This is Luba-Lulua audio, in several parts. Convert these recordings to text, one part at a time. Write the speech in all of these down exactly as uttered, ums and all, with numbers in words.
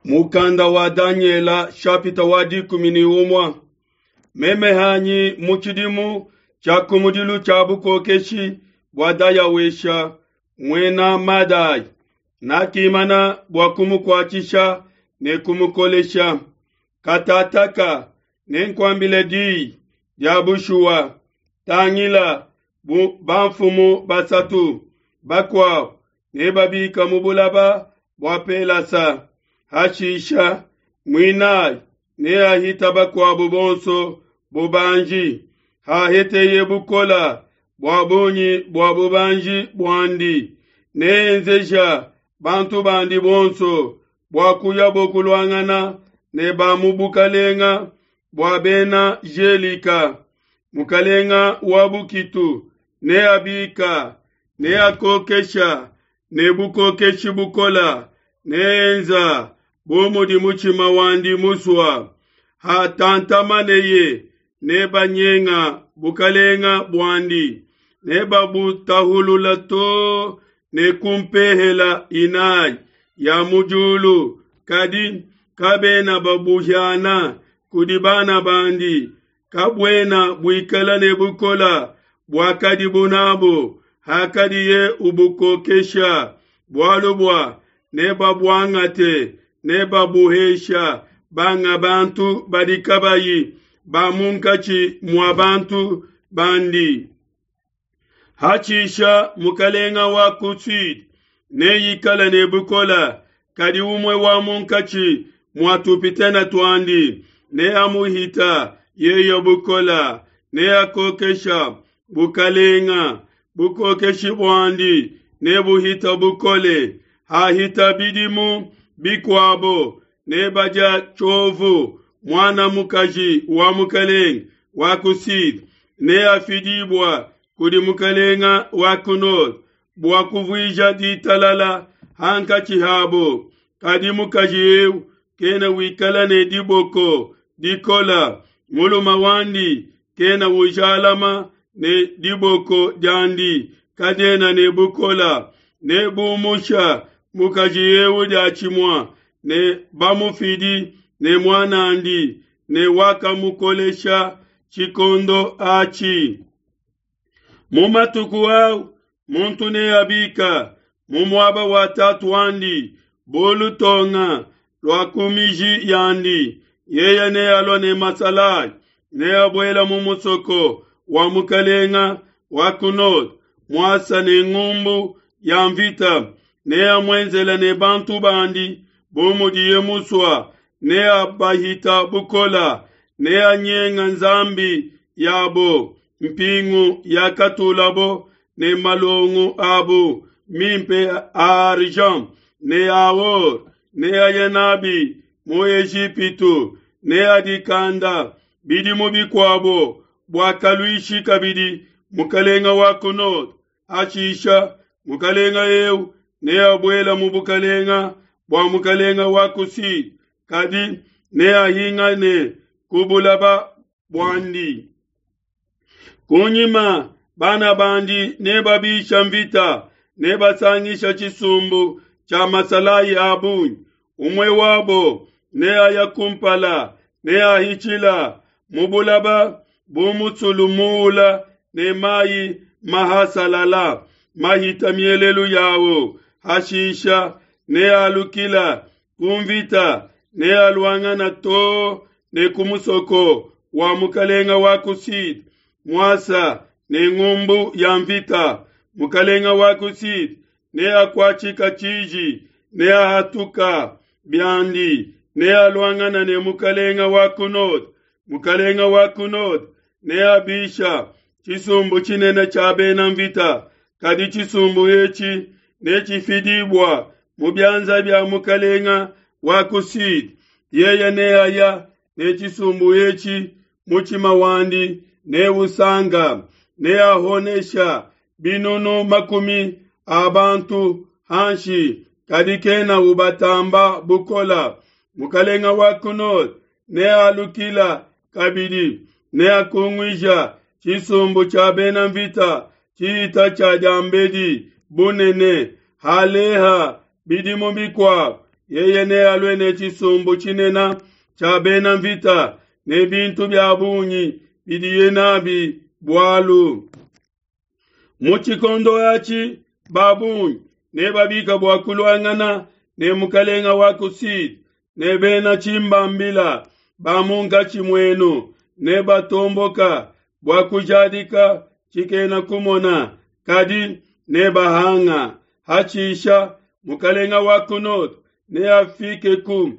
Mukanda wa Daniela shapita wa dikumi ne umue. Meme hanyi mu tshidimu tshia kumudilu tshia bukokeshi bua Dayawesha muena Madai, nakimana bua kumukuatshisha ne kumukolesha. Katataka nenkuambile diyi dia bushuwa, tangila bu bamfumu basatu bakuabu nebabika mu bulaba bua Pelasa. Hashisha muinayi neahita bakuabu bonso bubanji, haheteye bukola bua bungi bua bubanji buandi, neenzeja bantu bandi bonso bua kuyabo kuluangana ne ba mu bukalenga bua bena Jelika. Mukalenga wa bukitu neabika, neakokesha ne bukokeshi bukola, neenza bu mudi mutshima wandi musua. Hatantamaneye nebanyenga bukalenga buandi, nebabutahulula to ne kumpehela inayi ya mu diulu, kadi kabena babuhiana kudi bana bandi. Kabuena buikala ne bukola buakadibu nabo hakadiye ubukokesha, bualu bua nebabuangate, nebabuhesha banga bantu badi kabayi ba munkatshi mua bantu bandi. Hatshisha mukalenga wa ku sud neikale ne bukola, kadi umue wa munkatshi mua tupitene tuandi neamuhita yeye bukola, neakokesha bukalenga, bukokeshi buandi nebuhita bukole. Hahita bidimu bikuabo nebadia tshiovu, muana mukaji wa mukalenga wa ku sud neafidibua kudi mukalenga wa ku nord bua kuvuija ditalala hankatshi habo. Kadi mukaji eu kena wikala ne diboko dikola, mulume wandi kena ujalama ne diboko diandi kadiena ne bukola. Nebumusha mukaji eu diatshimue ne bamufidi ne muanandi ne wakamukolesha tshikondo atshi. Mu matuku au muntu neabika mu muaba wa tatu wandi bu lutonga lua ku miji yandi. Yeye nealua ne masalayi, neabuela mu musoko wa mukalenga wa ku nord muasa ne ngumbu ya mvita, neamuenzele ne bantu bandi bu mudiye musua, neabahita bukola, neanyenga nzambi yabo mpingu yakatulabo ne malongo abo mimpe a argent ne a or, neaye nabi mu Ejipitu, neadikanda bidimu bikuabo bua kaluishi kabidi mukalenga wa ku nord. Hashisha mukalenga eu neabuela mu bukalenga bua mukalenga wa ku sud, kadi neahingane ku bulaba buandi. Kunyima bana bandi nebabisha mvita, nebasangisha tshisumbu tshia masalayi a bungi. Umue wabo neaya kumpala, neahitshila mu bulaba bu musulu muula ne mayi mahasalala mahita mielelu yawo. Hashisha nealukila ku mvita, nealuangana to ne ku musoko wa mukalenga wa ku sud muasa ne ngumbu ya mvita. Mukalenga wa ku sud neakuatshika tshiji, neahatuka biandi, nealuangana ne mukalenga wa ku nord. Mukalenga wa ku nord neabisha tshisumbu tshinene tshia bena mvita, kadi tshisumbu etshi netshifidibua mu bianza bia mukalenga wa ku sud. Yeye neaya ne tshisumbu etshi, mutshima wandi neusanga, neahonesha binunu makumi a bantu hanshi, kadi kena ubatamba bukola. Mukalenga wa ku nord nealukila kabidi, neakunguija tshisumbu tshia bena mvita tshihita tshia diambedi bunene. Haleha bidimu bikuabo, Yeye nealue ne tshisumbu tshinene tshia bena mvita ne bintu bia bungi bidiye nabi bualu. Mu tshikondo atshi ba bungi nebabika bua kuluangana ne mukalenga wa ku Sud, ne bena tshimbambila ba munkatshi muenu nebatomboka bua kujadika tshikena kumona, kadi nebahanga. Hatshisha mukalenga wa ku nord neafikeku,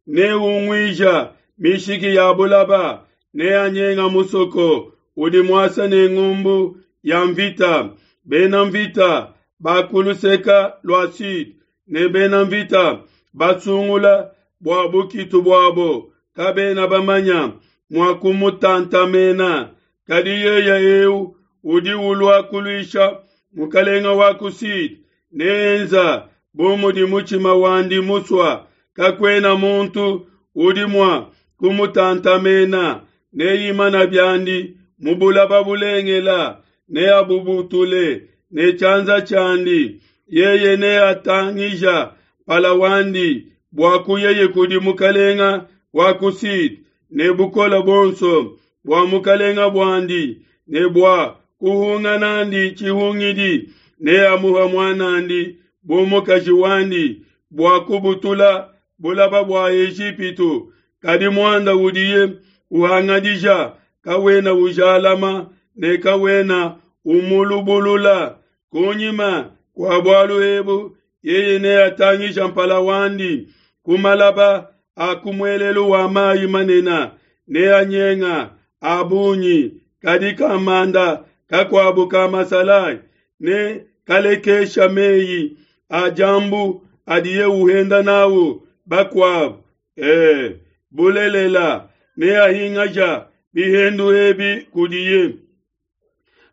neunguija mishiki ya bulaba, neanyenga musoko udi muasa ne ngumbu ya mvita. Bena mvita ba ku luseka lua sud ne bena mvita basungula bua bukitu buabo kabena bamanya mua kumutantamena. Kadi yeye eu udi ulua kuluisha mukalenga wa ku sud neenza bu mudi mutshima wandi musua, kakuena muntu udi mua kumutantamena. Neimana biandi mu bulaba bulengela, neabubutule ne tshianza tshiandi. Yeye neatangija mpala wandi bua kuyeye kudi mukalenga wa ku sud ne bukole buonso bua mukalenga buandi, ne bua kuhunga nandi tshihungidi, neamuha muanandi bu mukaji wandi bua kubutula bulaba bua Ejipitu. Kadi muanda udiye uhangadija kawena ujalama ne kawena umulubulula. Kunyima kua bualu ebu yeye neatangija mpala wandi ku malaba a ku muelelu wa mayi manene, neanyenga a bungi. Kadi kamanda kakuabu ka masalayi ne kalekesha meyi a diambu adiye uhenda nawu bakuabu. E, bulelela neahingaja bihendu ebi kudiye.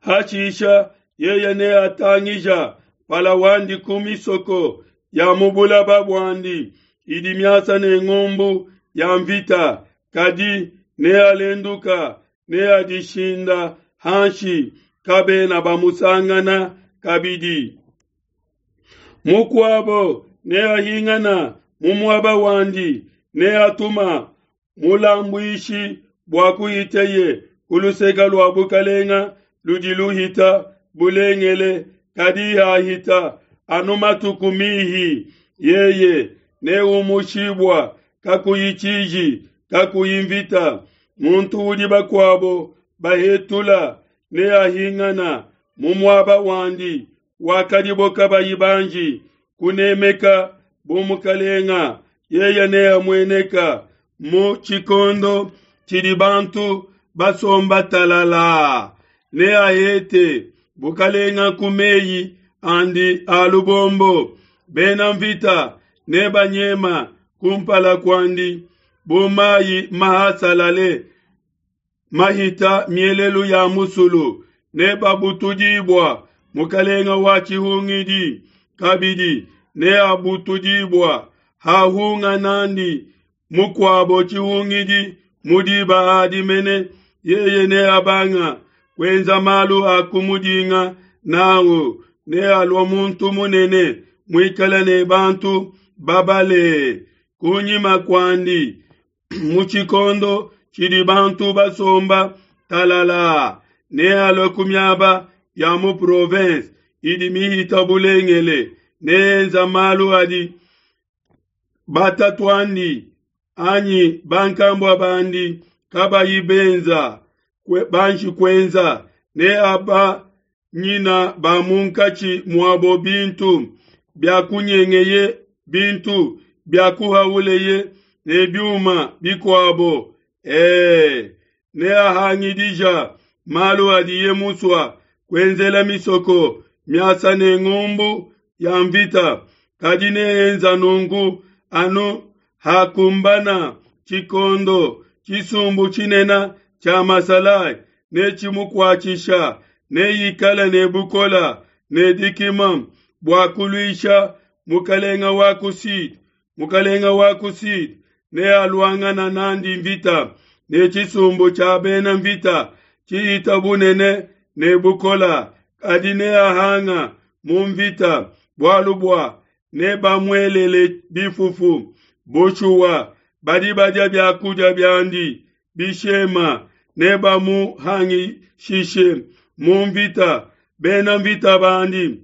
Hatshisha yeye neatangija mpala wandi ku misoko ya mu bulaba buandi idi miasa ne ngumbu ya mvita, kadi nealenduka, neadishinda hanshi, kabena bamusangana kabidi. Mukuabo neahingana mu muaba wandi, neatuma mulambuishi bua kuhiteye ku luseke lua bukalenga ludi luhita bulengele, kadi hahita anu matuku mihi, yeye neumushibua kakuyi tshiji, kakuyi mvita. Muntu udi bakuabo bahetula neahingana mu muaba wandi wakadibo kabayi banji kunemeka bu mukalenga. Yeye neamueneka mu tshikondo tshidi bantu basomba talala, neahete bukalenga ku meyi andi a lubombo. Bena mvita nebanyema kumpala kuandi bu mayi mahasalale mahita mielelu ya musulu, nebabutudibua. Mukalenga wa tshihungidi kabidi neabutudibua hahunga nandi mukuabo tshihungidi mu diba adi mene. Yeye neabanga kuenza malu a kumudinga nawu, nealua muntu munene muikale ne bantu babale kunyima kuandi. Mu tshikondo tshidi bantu basomba talala, nealue ku miaba ya mu province idi mihita bulengele, neenza malu adi batatuandi anyi bankambua bandi kabayi benza banji kuenza. Neaba nyina ba munkatshi muabo bintu bia kunyengeye, bintu bia kuhauleye ne biuma bikuabo. E, neahangidija malu adiye musua kuenzela misoko miasa ne ngumbu ya mvita, kadi neenza nunku anu hakumbana tshikondo. Tshisumbu tshinene tshia masalayi netshimukuatshisha, neikale ne bukola ne dikima bua kuluisha mukalenga wa ku sud. Mukalenga wa ku sud nealuangana nandi mvita ne tshisumbu tshia bena mvita tshihita bunene ne bukola, kadi neahanga mu mvita, bualu bua Nebamuelele bifufu. Bushuwa, badi badia bia kudia biandi bishema nebamuhangishishe mu nvita. Bena nvita bandi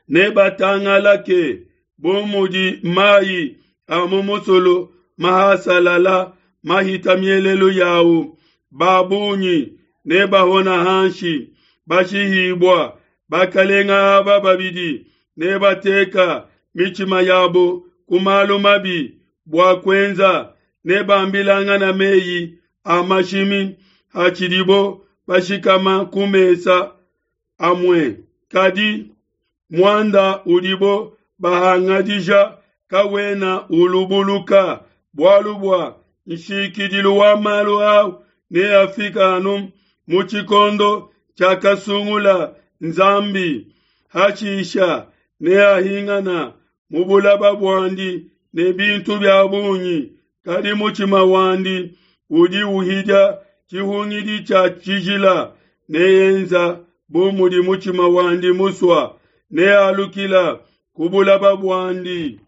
nebatangalake bu mudi mai a mu musulu mahasalala mahita mielelu yau. Ba bungi nebahona hanshi bashihibua. Bakalenga aba babidi nebateka mitshima yabo ku malu mabi bua kuenza, nebambilangana meyi a mashimi hatshidibo bashikama ku mesa amue. Kadi muanda udibo bahangadija kawena ulubuluka, bualu bua nshikidilu wa malu au neafika anu mu tshikondo tshiakasungula Nzambi. Hashisha neahingana mu bulaba buandi ne bintu bia bungi, kadi mutshima wandi udi uhidia tshihungidi tshia tshijila. Neenza bu mudi mutshima wandi musua, nealukila ku bulaba buandi.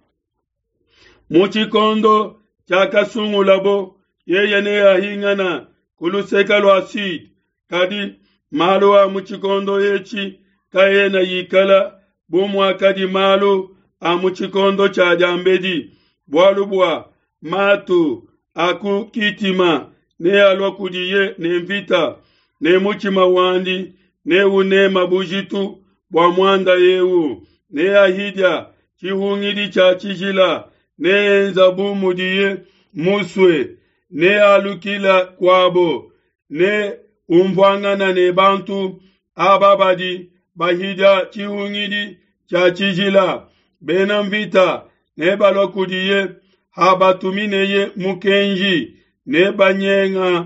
Mu tshikondo tshiakasungulabo, yeye neahingana ku luseke lua Sud, kadi malu a mu tshikondo etshi kaena yikala bu muakadi malu a mu tshikondo tshia diambedi, bualu bua matu a ku Kitima nealua kudiye ne mvita, ne mutshima wandi neunema bujitu bua muanda eu. Neahidia tshihungidi tshia tshijila, neenza bu mudiye musue, nealukila kuabo, ne umvuangana ne bantu aba badi bahidia tshihungidi tshia tshijila. Bena mvita nebalua kudiye habatumineye mukenji, nebanyenga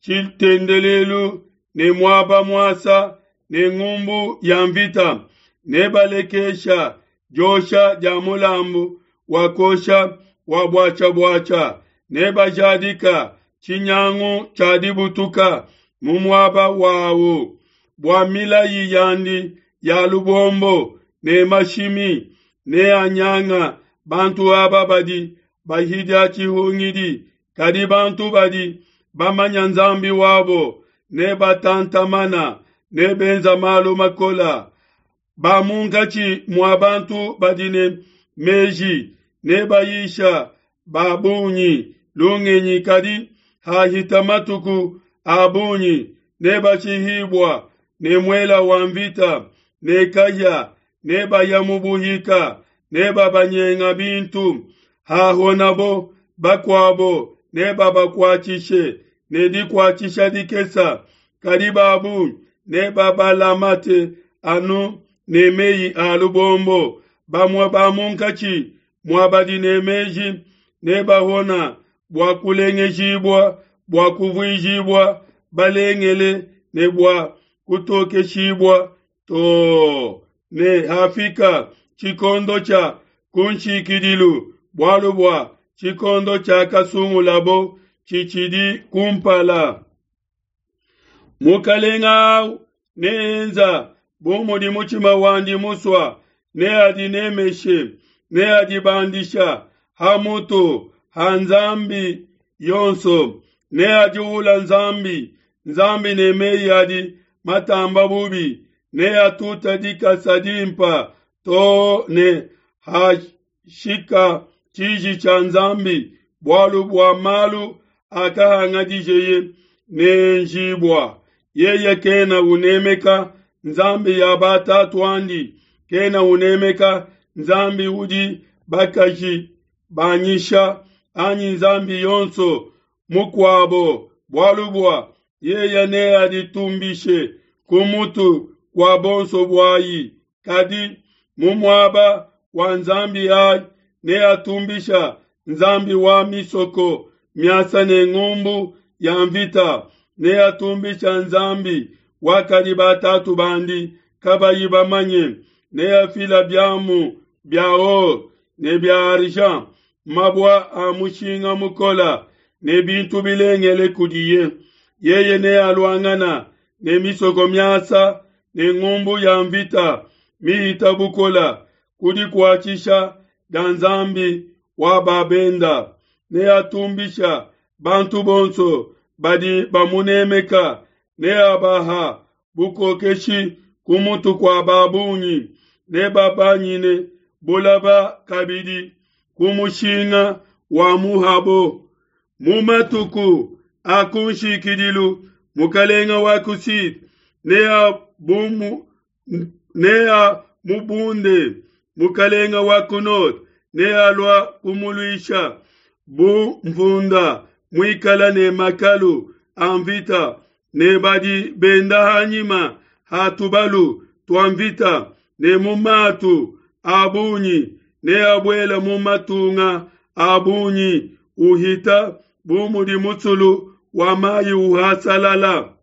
tshitendelelu ne muaba muasa ne ngumbu ya mvita, nebalekesha diosha dia mulambu wa kosha wa buatshia-buatshia, nebajadika tshinyangu tshia dibutuka mu muaba wawu. Bua milayi yandi ya lubombo ne mashimi, neanyanga bantu aba badi bahidia tshihungidi. Kadi bantu badi bamanya Nzambi wabo nebatantamana, nebenza malu makola. Ba munkatshi mua bantu badi ne meji nebayisha ba bungi lungenyi, kadi hahita matuku a bungi nebashihibua ne muela wa mvita ne kahia, nebaya mu buhika, nebabanyenga bintu. Hahonabo bakuabo nebabakuatshishe ne dikuatshisha dikesa, kadi ba bungi nebabalamate anu ne meyi a lubombo. Bamue ba munkatshi mua badi ne meji nebahona bua kulengejibua, bua kuvuijibua balengele ne bua kutokeshibua too ne hafika tshikondo tshia kunshikidilu, bualu bua tshikondo tshiakasungulabo tshitshidi kumpala. Mukalenga au neenza bu mudi mutshima wandi musua, neadinemeshe, neadibandisha ha mutu ha nzambi yonso, neadiula nzambi nzambi ne meyi adi matamba bubi, neatuta dikasa dimpa too ne hashika tshiji tshia Nzambi, bualu bua malu akahangadijeye neenjibua. Yeye kena unemeka nzambi ya batatu'andi, kena unemeka nzambi udi bakaji banyisha, anyi nzambi yonso mukuabo, bualu bua yeye neaditumbishe ku mutu kua bonso buayi. Kadi mu muaba wa nzambi ayi neatumbisha nzambi wa misoko miasa ne ngumbu ya mvita, neatumbisha nzambi wakadi batatu bandi kabayi bamanye, neafila biamu bia or ne bia argent, mabua a mushinga mukola ne bintu bilengele kudiye. Yeye nealuangana ne misoko miasa ne ngumbu ya mvita mihita bukola, ku dikuatshisha dia nzambi wa ba benda. Neatumbisha bantu bonso badi bamunemeka, neabaha bukokeshi ku mutu kua ba bungi, nebabanyine bulaba kabidi ku mushinga wa muhabo. Mu matuku a kunshikidilu mukalenga wa ku Sud neamubunde, mukalenga wa ku nord nealua kumuluisha bu mvunda muikala ne makalu a mvita ne badi benda hanyima ha tubalu tua mvita ne mu matu a bungi, neabuela mu matunga a bungi uhita bu mudi musulu wa mayi uhasalala.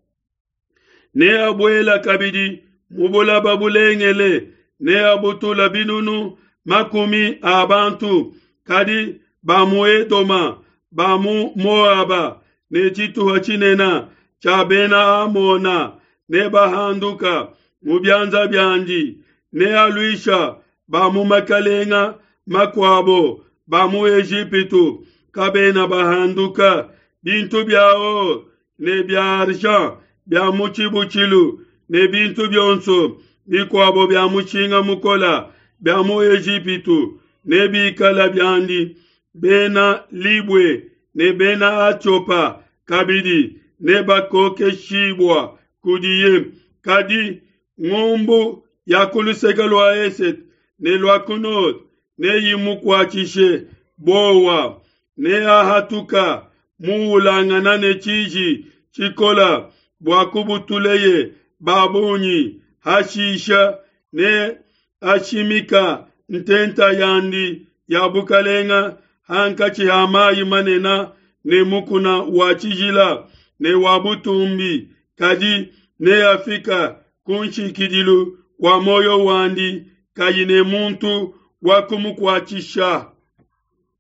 Neabuela kabidi mu bulaba bulengele, neabutula binunu makumi a bantu, kadi ba mu Edoma, ba mu Moaba ne tshituha tshinene tshia bena Amona nebahanduka mu bianza biandi. Nealuisha ba mu makalenga makuabo ba mu Ejipitu kabena bahanduka. Bintu bia or ne bia argent bia mu tshibutshilu ne bintu bionso bikuabo bia mushinga mukola bia mu Ejipitu nebikala biandi. Bena Libwe ne bena Atiopa kabidi nebakokeshibua kudiye. Kadi ngumbu ya ku luseke lua esete ne lua ku nord neyimukuatshishe bowa, neahatuka muulangana ne tshiji tshikola bua kubutuleye ba bungi. Hashisha ne ashimika ntenta yandi ya bukalenga hankatshi ha mayi manene ne mukuna wa tshijila ne wa butumbi, kadi neafika ku nshikidilu kua muoyo wandi kayi ne muntu wa kumukuatshisha.